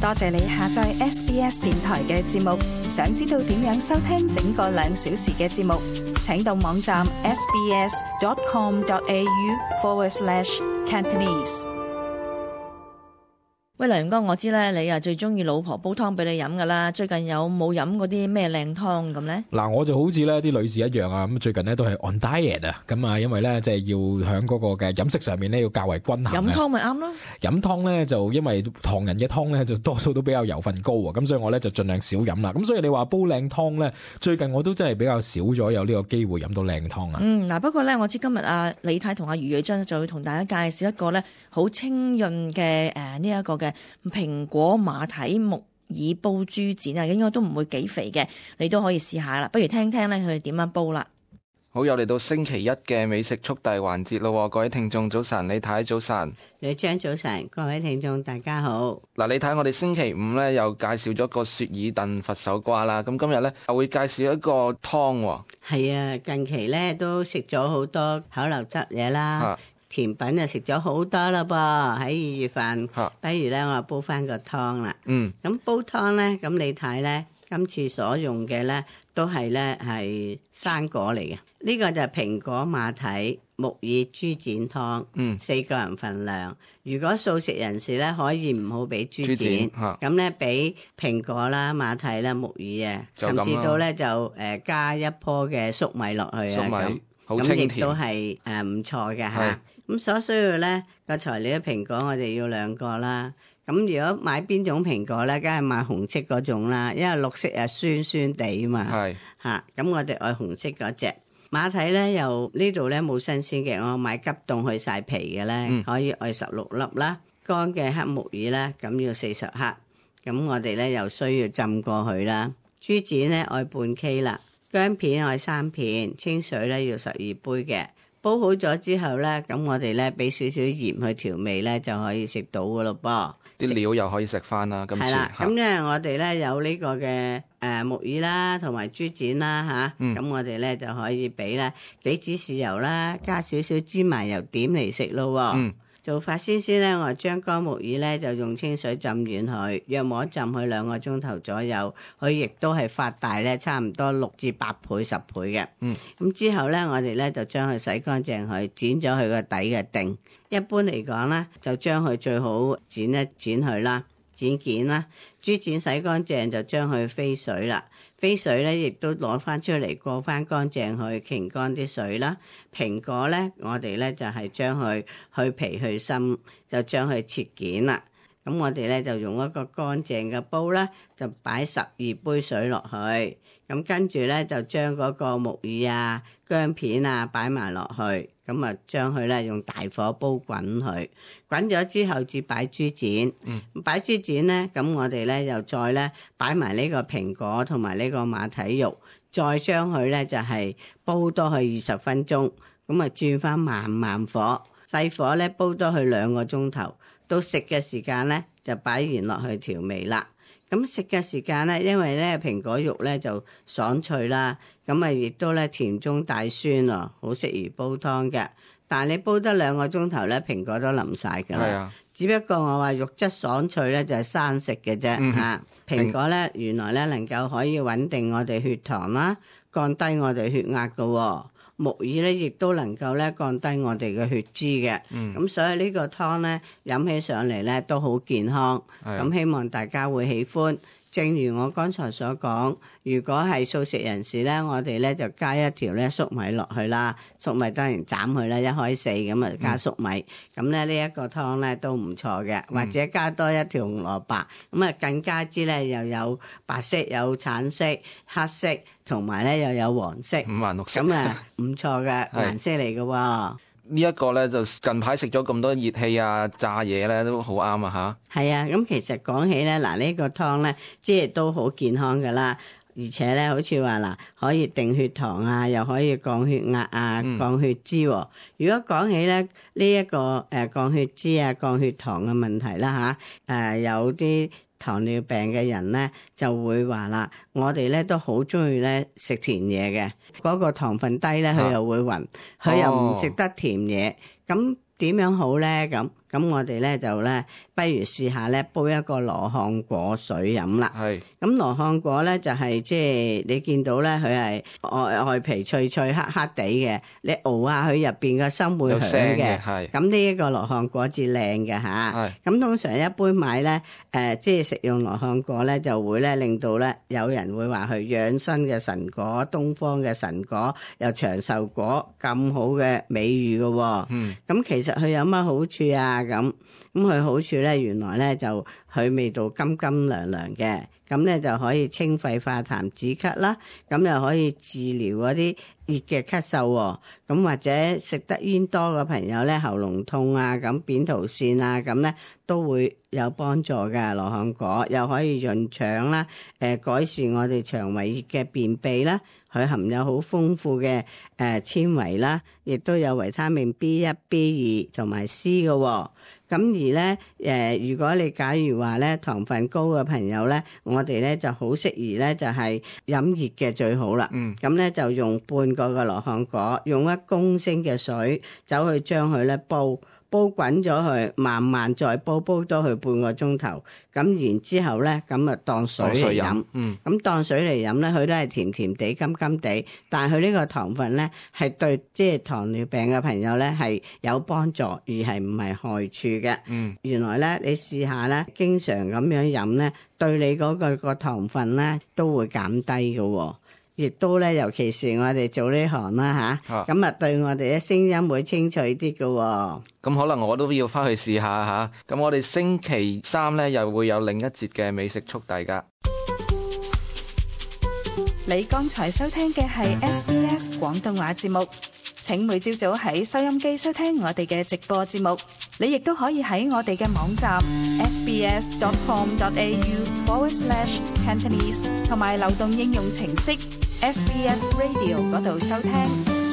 多謝你下載 SBS 電台嘅節目。想知道點樣收聽整個2小時嘅節目，請到網站 sbs.com.au/Cantonese。喂，梁哥，我知咧，你啊最中意老婆煲湯俾你飲噶啦。最近有冇飲嗰啲咩靚湯咁咧？嗱，我就好似咧啲女士一樣啊，咁最近咧都係 on diet 啊，咁啊，因為咧即係要喺嗰個嘅飲食上面咧要較為均衡。飲湯咪啱咯。飲湯咧就因為唐人嘅湯咧就多數都比較油分高啊，咁所以我咧就盡量少飲啦。咁所以你話煲靚湯咧，最近我都真係比較少咗有呢個機會飲到靚湯啊。嗱，不過咧我知今日李太同余瑞章就會同大家介紹一個咧好清潤嘅呢一個嘅蘋果馬蹄木耳煲豬展啊，應該都唔會幾肥嘅，你都可以試下啦。不如聽聽咧佢哋點樣煲啦。好，又嚟到星期一嘅美食速遞環節咯，各位聽眾早晨，李太早晨，李張早晨，各位聽眾大家好。嗱，你睇我哋星期五咧又介紹咗個雪耳燉佛手瓜啦，咁今日咧又會介紹一個湯喎。係啊，近期咧都食咗好多口流質嘢啦。甜品就食咗好多啦噃，喺2月份，不如咧我煲翻個湯啦。咁煲湯咧，咁你睇咧，今次所用嘅咧都係咧係生果嚟嘅。呢個就係蘋果馬蹄木耳豬展湯，4個人份量。如果素食人士咧，可以唔好俾豬展，咁咧俾蘋果啦、馬蹄啦、木耳啊，甚至到咧就加一棵嘅粟米落去啊，咁亦都係唔錯嘅嚇。咁所需要咧個材料，蘋果我哋要2個啦。咁如果買邊種蘋果咧，梗係買紅色嗰種啦，因為綠色啊酸酸地啊嘛。咁我哋愛紅色嗰隻馬蹄咧，又呢度咧冇新鮮嘅，我買急凍去晒皮嘅咧，可以愛16粒啦。乾嘅黑木耳咧，咁要40克。咁我哋咧又需要浸過去啦。豬展咧愛半 K 啦，薑片愛3片，清水咧要12杯嘅。煲好咗之後咧，咁我哋咧俾少少鹽去調味咧，就可以食到噶咯噃。啲料又可以食翻啦，今次。係啦，咁咧我哋咧有呢個嘅木耳啦，同埋豬展啦嚇。咁我哋咧就可以俾咧幾支豉油啦，加少少芝麻油點嚟食咯。做法先咧，我將乾木耳咧就用清水浸軟佢，約莫浸佢2個鐘頭左右，佢亦都係發大咧，差唔多6至8倍、10倍嘅。咁之後咧，我哋咧就將佢洗乾淨佢，剪咗佢個底嘅頂。一般嚟講咧，就將佢最好剪一剪佢啦，剪件啦。豬展洗乾淨就將佢飛水啦。飛水咧，亦都攞翻出嚟過翻乾淨去擎乾啲水啦。蘋果咧，我哋咧就係將佢去皮去心，就將佢切件啦。咁我哋咧就用一個乾淨嘅煲啦，就擺12杯水落去。咁跟住咧就將嗰個木耳啊、薑片啊擺埋落去。咁啊，將佢咧用大火煲滾佢，滾咗之後至擺豬展。擺豬展咧，咁我哋咧又再咧擺埋呢個蘋果同埋呢個馬蹄肉，再將佢咧就係煲多去20分鐘。咁啊，轉翻慢火，細火咧煲多去2個鐘頭。到食嘅時間咧，就擺鹽落去調味啦。咁食嘅時間咧，因為咧蘋果肉咧就爽脆啦，咁啊亦都咧甜中帶酸咯，好適宜煲湯嘅。但係你煲得2個鐘頭咧，蘋果都腍晒㗎啦。只不過我話肉質爽脆咧，就係生食嘅啫嚇。蘋果咧原來咧能夠可以穩定我哋血糖啦，降低我哋血壓㗎喎。木耳咧，亦都能夠咧降低我哋嘅血脂嘅，咁所以呢個湯咧飲起上嚟咧都好健康，咁希望大家會喜歡。正如我剛才所講，如果係素食人士咧，我哋咧就加一條咧粟米落去啦，粟米當然斬佢啦，1開4咁啊加粟米，咁咧呢一個湯咧都唔錯嘅，或者加多一條紅蘿蔔，咁啊更加之咧又有白色、有橙色、黑色，同埋咧又有黃色，五顏六色，咁啊唔錯嘅顏色嚟嘅喎。呢一個咧就近排食咗咁多熱氣啊炸嘢咧都好啱啊嚇。係啊，咁其實講起咧嗱呢個湯咧，即係都好健康噶啦，而且咧好似話嗱可以定血糖啊，又可以降血壓啊、降血脂喎。如果講起咧呢一個降血脂啊、降血糖嘅問題啦嚇，有啲糖尿病嘅人咧就會話啦，我哋咧都好中意咧食甜嘢嘅，嗰個糖分低咧佢又會暈，佢又唔食得甜嘢，咁點樣好咧？咁咁我哋咧就咧，不如試下咧煲一個羅漢果水飲啦。係。咁羅漢果咧就係即係你見到咧，佢係外皮脆脆黑黑地嘅，你熬下佢入邊個心會響嘅。係。咁呢一個羅漢果至靚嘅嚇。係。咁通常一般買咧，即係食用羅漢果咧，就會咧令到咧有人會話佢養生嘅神果、東方嘅神果，又長壽果咁好嘅美譽嘅喎。咁其實佢有乜好處啊？咁佢好處咧，原來咧就佢味道甘甘涼涼嘅，咁咧就可以清肺化痰止咳啦，咁又可以治療嗰啲熱嘅咳嗽喎。咁或者食得煙多嘅朋友咧，喉嚨痛啊，咁扁桃腺啊，咁咧都會有幫助嘅。羅漢果又可以潤腸啦，改善我哋腸胃熱嘅便秘啦。佢含有好豐富嘅纖維啦，亦都有維他命 B1、B2 同埋 C 嘅喎。咁而咧如果你假如話咧糖分高嘅朋友咧，我哋咧就好適宜咧就係飲熱嘅最好啦。咁咧就用半個嘅羅漢果，用1公升嘅水走去將佢咧煲滾咗佢，慢慢再煲多佢半個鐘頭。咁然之後咧，咁啊當水嚟飲。咁當水嚟飲咧，佢都係甜甜地、甘甘地。但係佢呢個糖分咧，係對即係糖尿病嘅朋友咧係有幫助，而係唔係害處嘅。原來咧，你試下咧，經常咁樣飲咧，對你嗰個糖分咧都會減低嘅喎。亦都咧，尤其是我哋做呢行啦嚇，咁對我哋嘅聲音會清脆啲嘅喎。咁可能我都要翻去試下嚇。咁我哋星期3咧又會有另一節嘅美食速遞㗎。你剛才收聽嘅係 SBS 廣東話節目。請每朝早喺收音機收聽我哋嘅直播節目。你亦都可以喺我哋嘅網站 sbs.com.au/Cantonese 同埋流動應用程式SBS Radio 嗰度收聽。